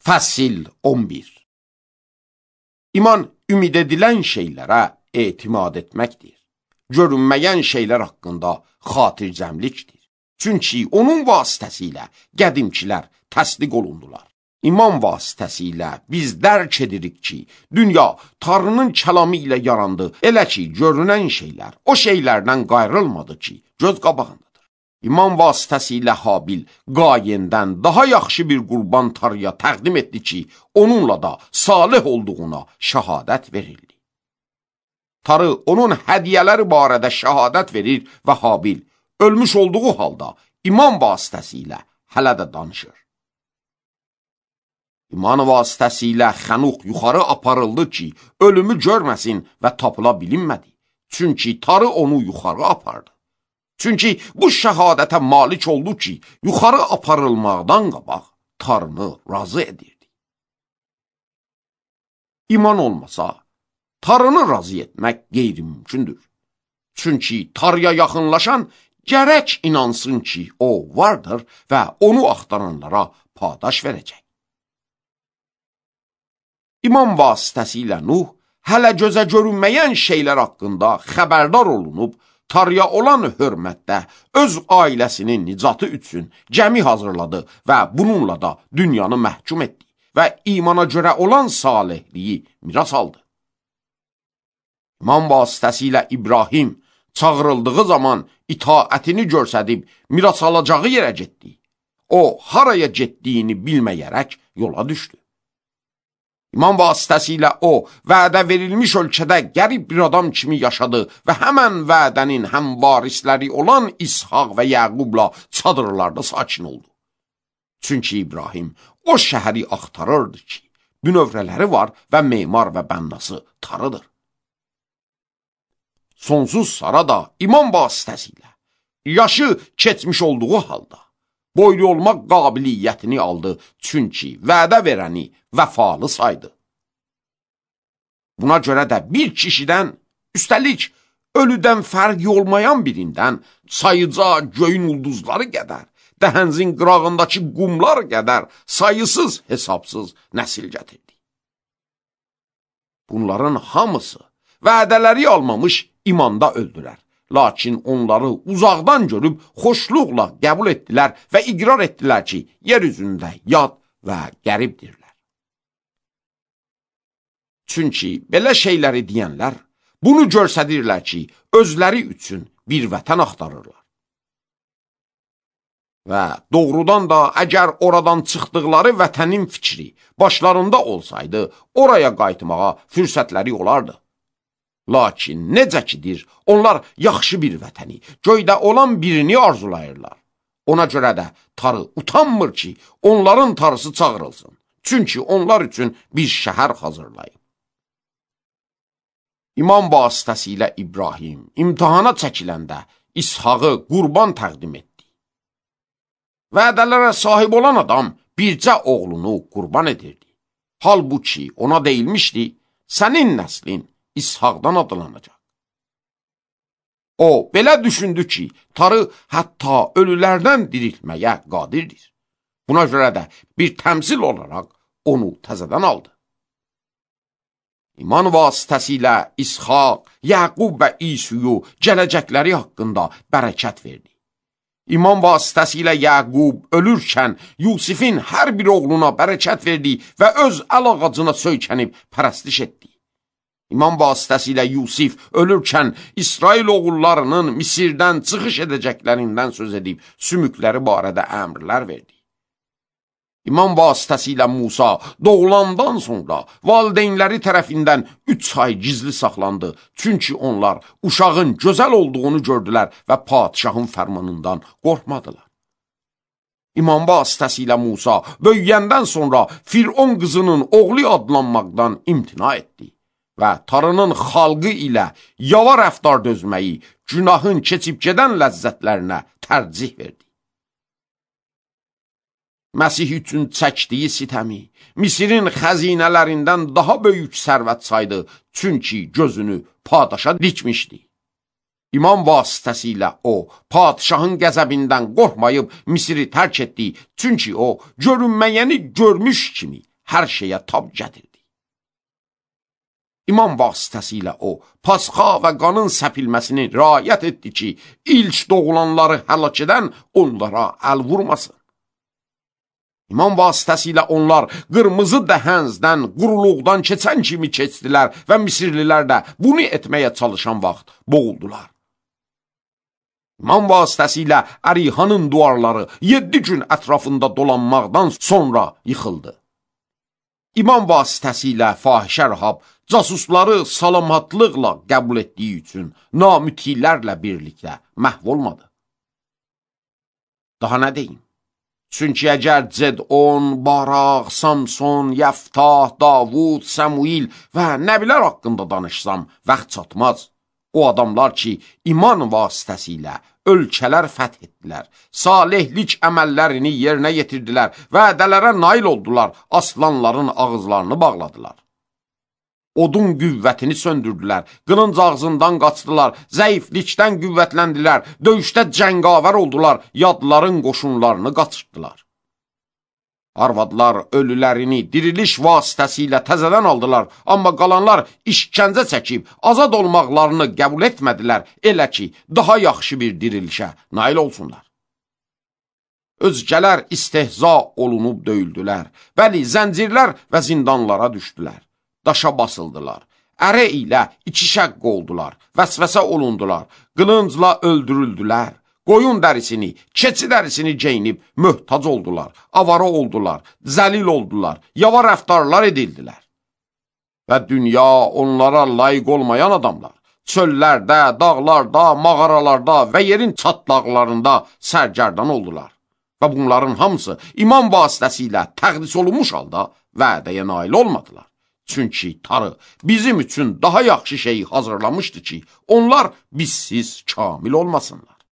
Fəsil 11. İman ümid edilən şeylərə etimad etməkdir. Görünməyən şeylər haqqında xatircəmlikdir. Çünki onun vasitəsilə qədimkilər təsdiq olundular. İman vasitəsilə biz dərk edirik ki, dünya Tanrının kəlamı ilə yarandı. Elə ki, görünən şeylər o şeylərdən qayrılmadı ki, göz qabağındadır. İman vasitəsilə Habil Qayendən daha yaxşı bir qurban Tanrıya təqdim etdi ki, onunla da salih olduğuna şəhadət verildi. Tanrı onun hədiyyələri barədə şəhadət verir və Habil ölmüş olduğu halda iman vasitəsilə hələ də danışır. İman vasitəsilə Xənuq yuxarı aparıldı ki, ölümü görməsin və tapıla bilinmədi. Çünki Tanrı onu yuxarı apardı. Çünki bu şəhadətə malik oldu ki, yuxarı aparılmaqdan qabaq Tanrını razı edirdi. İman olmasa, Tanrını razı etmək qeyri-mümkündür. Çünki Tanrıya yaxınlaşan gərək inansın ki, o vardır və onu axtaranlara paydaş verəcək. İman vasitəsilə Nuh hələ gözə görünməyən şeylər haqqında xəbərdar olunub, Tanrıya olan hörmətdə öz ailəsinin nicatı üçün gəmi hazırladı və bununla da dünyanı məhkum etdi və imana görə olan salihliyi miras aldı. İman vasitəsilə İbrahim çağırıldığı zaman itaətini göstərib miras alacağı yerə getdi. O, haraya getdiyini bilməyərək yola düşdü. İman vasitəsilə o, vədə verilmiş ölkədə qərib bir adam kimi yaşadı və həmən vədənin həm varisləri olan İshaq və Yəqubla çadırlarda sakin oldu. Çünki İbrahim o şəhəri axtarırdı ki, bünövrələri var və memar və bənnası Tanrıdır. Sonsuz Sara da iman vasitəsilə, yaşı keçmiş olduğu halda, boylu olmaq qabiliyyətini aldı, çünki vədə verəni vəfalı saydı. Buna görə də bir kişidən, üstəlik ölüdən fərqi olmayan birindən, sayıca göyün ulduzları qədər, dəhənzin qırağındakı qumlar qədər sayısız hesabsız nəsil gətirdi. Bunların hamısı vədələri almamış imanda öldülər. Lakin onları uzaqdan görüb xoşluqla qəbul etdilər və iqrar etdilər ki, yer üzündə yad və qəribdirlər. Çünki belə şeyləri deyənlər bunu göstərirlər ki, özləri üçün bir vətən axtarırlar. Və doğrudan da əgər oradan çıxdıqları vətənin fikri başlarında olsaydı, oraya qayıtmağa fürsətləri olardı. Lakin necə kidir, onlar yaxşı bir vətəni, göydə olan birini arzulayırlar. Ona görə də Tanrı utanmır ki, onların Tanrısı çağırılsın. Çünki onlar üçün bir şəhər hazırlayıb. İman vasitəsilə İbrahim imtihana çəkiləndə İshaqı qurban təqdim etdi. Vədələrə sahib olan adam bircə oğlunu qurban edirdi. Halbuki ona deyilmişdi, sənin nəslin İshaqdan adlanacaq. O, belə düşündü ki, Tanrı hətta ölülərdən diriltməyə qadirdir. Buna görə də bir təmsil olaraq onu təzədən aldı. İman vasitəsilə İshaq, Yəqub və İsuyu gələcəkləri haqqında bərəkət verdi. İman vasitəsilə Yəqub ölürkən Yusifin hər bir oğluna bərəkət verdi və öz əl ağacına söykənib pərəstiş etdi. İman vasitəsilə Yusif ölürkən İsrail oğullarının Misirdən çıxış edəcəklərindən söz edib sümükləri barədə əmrlər verdi. İman vasitəsilə Musa doğulandan sonra valideynləri tərəfindən 3 ay gizli saxlandı. Çünki onlar uşağın gözəl olduğunu gördülər və padişahın fərmanından qorxmadılar. İman vasitəsilə Musa böyüyəndən sonra Firon qızının oğlu adlanmaqdan imtina etdi və Tanrının xalqı ilə yava rəftar dözməyi, günahın keçib gedən ləzzətlərinə tərcih verdi. Məsih üçün çəkdiyi sitəmi, Misirin xəzinələrindən daha böyük sərvət saydı, çünki gözünü padişaha dikmişdi. İman vasitəsilə o, padişahın qəzəbindən qorxmayıb Misiri tərk etdi, çünki o, görünməyəni görmüş kimi hər şeyə tab gətirdi. İmam vasitəsilə o, pasxa və qanın səpilməsini riayət etdi ki, ilk doğulanları həlak edən onlara əl vurmasın. İmam vasitəsilə onlar qırmızı dəhəzdən, quruluqdan keçən kimi keçdilər və Misirlilər də bunu etməyə çalışan vaxt boğuldular. İmam vasitəsilə Ərihanın duvarları 7 gün ətrafında dolanmaqdan sonra yıxıldı. İmam vasitəsilə fahişə Rahab casusları salamatlıqla qəbul etdiyi üçün namütilərlə birlikdə məhv olmadı. Daha nə deyim? Çünki əgər Cedon, Baraq, Samson, Yəftah, Davud, Səmuil və nəbilər haqqında danışsam, vaxt çatmaz. O adamlar ki, iman vasitəsilə ölkələr fəth etdilər, salihlik əməllərini yerinə yetirdilər, vədələrə nail oldular, aslanların ağızlarını bağladılar. Odun qüvvətini söndürdülər, qılınc ağzından qaçdılar, zəiflikdən qüvvətləndilər, döyüşdə cəngavər oldular, yadların qoşunlarını qaçırtdılar. Arvadlar ölülərini diriliş vasitəsilə təzədən aldılar, amma qalanlar işgəncə çəkib, azad olmaqlarını qəbul etmədilər, elə ki, daha yaxşı bir dirilişə nail olsunlar. Özgələr istehza olunub döyüldülər, bəli, zəncirlər və zindanlara düşdülər. Daşa basıldılar, ərə ilə iki şəqq oldular, vəsvəsə olundular, qılıncla öldürüldülər, qoyun dərisini, keçi dərisini geyinib möhtac oldular, avara oldular, zəlil oldular, yava rəftarlar edildilər. Və dünya onlara layiq olmayan adamlar, çöllərdə, dağlarda, mağaralarda və yerin çatlaqlarında sərgərdan oldular. Və bunların hamısı iman vasitəsilə təqdis olunmuş halda vədəyə nail olmadılar. Çünki Tanrı bizim üçün daha yaxşı şeyi hazırlamışdı ki, onlar bizsiz kamil olmasınlar.